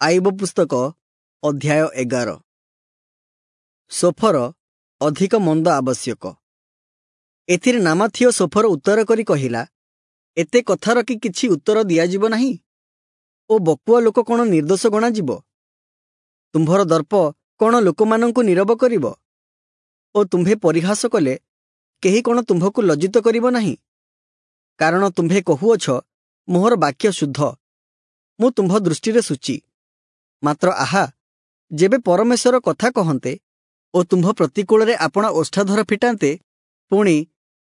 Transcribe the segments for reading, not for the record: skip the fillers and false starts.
ଆୟୁବ ପୁସ୍ତକ ଅଧ୍ୟାୟ 11। ସୋଫର ଅଧିକ ମନ୍ଦ ଆବଶ୍ୟକ। ଏଥିରେ ନାମାଥୀୟ ସୋଫର ଉତ୍ତର କରି କହିଲା, ଏତେ କଥାର କି କିଛି ଉତ୍ତର ଦିଆଯିବ ନାହିଁ? ଓ ବକୁଆ ଲୋକ କ'ଣ ନିର୍ଦ୍ଦୋଷ ଗଣାଯିବ? ତୁମ୍ଭର ଦର୍ପ କ'ଣ ଲୋକମାନଙ୍କୁ ନୀରବ କରିବ? ଓ ତୁମ୍ଭେ ପରିହାସ କଲେ କେହି କ'ଣ ତୁମ୍ଭକୁ ଲଜ୍ଜିତ କରିବ ନାହିଁ? କାରଣ ତୁମ୍ଭେ କହୁଅଛ, ମୋହର ବାକ୍ୟ ଶୁଦ୍ଧ, ମୁଁ ତୁମ୍ଭ ଦୃଷ୍ଟିରେ ଶୁଚି। ମାତ୍ର ଆହା, ଯେବେ ପରମେଶ୍ୱର କଥା କହନ୍ତେ ଓ ତୁମ୍ଭ ପ୍ରତିକୂଳରେ ଆପଣା ଓଷ୍ଠାଧର ଫିଟାନ୍ତେ, ପୁଣି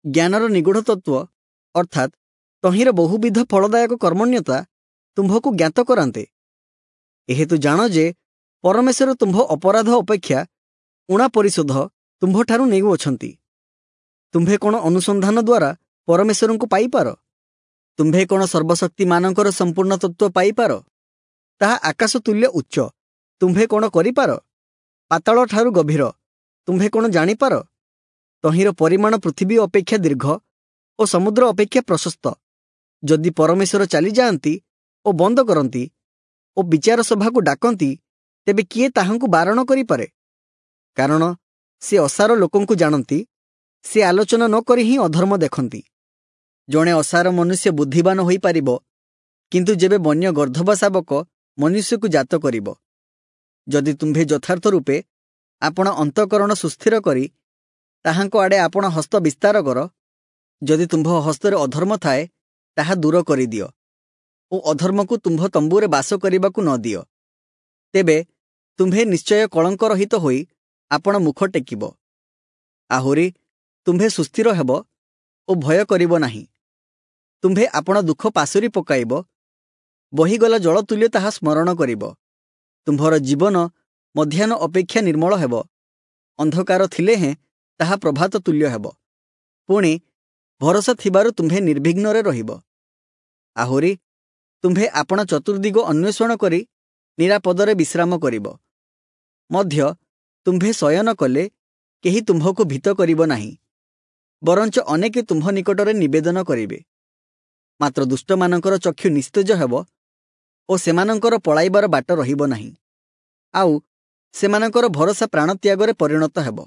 ଜ୍ଞାନର ନିଗୂଢ଼ ତତ୍ତ୍ୱ ଅର୍ଥାତ୍ ତହିଁର ବହୁବିଧ ଫଳଦାୟକ କର୍ମଣ୍ୟତା ତୁମ୍ଭକୁ ଜ୍ଞାତ କରାନ୍ତେ। ଏହେତୁ ଜାଣ ଯେ ପରମେଶ୍ୱର ତୁମ୍ଭ ଅପରାଧ ଅପେକ୍ଷା ଊଣା ପରିଶୋଧ ତୁମ୍ଭଠାରୁ ନେଉଅଛନ୍ତି। ତୁମ୍ଭେ କ'ଣ ଅନୁସନ୍ଧାନ ଦ୍ୱାରା ପରମେଶ୍ୱରଙ୍କୁ ପାଇପାର? ତୁମ୍ଭେ କ'ଣ ସର୍ବଶକ୍ତିମାନଙ୍କର ସମ୍ପୂର୍ଣ୍ଣ ତତ୍ତ୍ୱ ପାଇପାର? ତାହା ଆକାଶ ତୁଲ୍ୟ ଉଚ୍ଚ, ତୁମ୍ଭେ କ'ଣ କରିପାର? ପାତାଳଠାରୁ ଗଭୀର, ତୁମ୍ଭେ କ'ଣ ଜାଣିପାର? ତହିଁର ପରିମାଣ ପୃଥିବୀ ଅପେକ୍ଷା ଦୀର୍ଘ ଓ ସମୁଦ୍ର ଅପେକ୍ଷା ପ୍ରଶସ୍ତ। ଯଦି ପରମେଶ୍ୱର ଚାଲିଯାଆନ୍ତି ଓ ବନ୍ଦ କରନ୍ତି ଓ ବିଚାର ସଭାକୁ ଡାକନ୍ତି, ତେବେ କିଏ ତାହାଙ୍କୁ ବାରଣ କରିପାରେ? କାରଣ ସେ ଅସାର ଲୋକଙ୍କୁ ଜାଣନ୍ତି, ସେ ଆଲୋଚନା ନ କରି ହିଁ ଅଧର୍ମ ଦେଖନ୍ତି। ଜଣେ ଅସାର ମନୁଷ୍ୟ ବୁଦ୍ଧିବାନ ହୋଇପାରିବ, କିନ୍ତୁ ଯେବେ ବନ୍ୟ ଗର୍ଦ୍ଧବ ଶାବକ ମନୁଷ୍ୟକୁ ଜାତ କରିବ। ଯଦି ତୁମ୍ଭେ ଯଥାର୍ଥ ରୂପେ ଆପଣ ଅନ୍ତଃକରଣ ସୁସ୍ଥିର କରି ତାହାଙ୍କ ଆଡ଼େ ଆପଣ ହସ୍ତ ବିସ୍ତାର କର, ଯଦି ତୁମ୍ଭ ହସ୍ତରେ ଅଧର୍ମ ଥାଏ, ତାହା ଦୂର କରିଦିଅ ଓ ଅଧର୍ମକୁ ତୁମ୍ଭ ତମ୍ବୁରେ ବାସ କରିବାକୁ ନ ଦିଅ। ତେବେ ତୁମ୍ଭେ ନିଶ୍ଚୟ କଳଙ୍କରହିତ ହୋଇ ଆପଣ ମୁଖ ଟେକିବ। ଆହୁରି ତୁମ୍ଭେ ସୁସ୍ଥିର ହେବ ଓ ଭୟ କରିବ ନାହିଁ। ତୁମ୍ଭେ ଆପଣ ଦୁଃଖ ପାଶୋରି ପକାଇବ, ବହିଗଲା ଜଳ ତୁଲ୍ୟ ତାହା ସ୍ମରଣ କରିବ। ତୁମ୍ଭର ଜୀବନ ମଧ୍ୟାହ୍ନ ଅପେକ୍ଷା ନିର୍ମଳ ହେବ, ଅନ୍ଧକାର ଥିଲେ ହେଁ ତାହା ପ୍ରଭାତ ତୁଲ୍ୟ ହେବ। ପୁଣି ଭରସା ଥିବାରୁ ତୁମ୍ଭେ ନିର୍ବିଘ୍ନରେ ରହିବ। ଆହୁରି ତୁମ୍ଭେ ଆପଣା ଚତୁର୍ଦିଗ ଅନ୍ୱେଷଣ କରି ନିରାପଦରେ ବିଶ୍ରାମ କରିବ। ମଧ୍ୟ ତୁମ୍ଭେ ଶୟନ କଲେ କେହି ତୁମ୍ଭକୁ ଭୀତ କରିବ ନାହିଁ, ବରଞ୍ଚ ଅନେକେ ତୁମ୍ଭ ନିକଟରେ ନିବେଦନ କରିବେ। ମାତ୍ର ଦୁଷ୍ଟମାନଙ୍କର ଚକ୍ଷୁ ନିସ୍ତେଜ ହେବ ଓ ସେମାନଙ୍କର ପଳାଇବାର ବାଟ ରହିବ ନାହିଁ, ଆଉ ସେମାନଙ୍କର ଭରସା ପ୍ରାଣତ୍ୟାଗରେ ପରିଣତ ହେବ।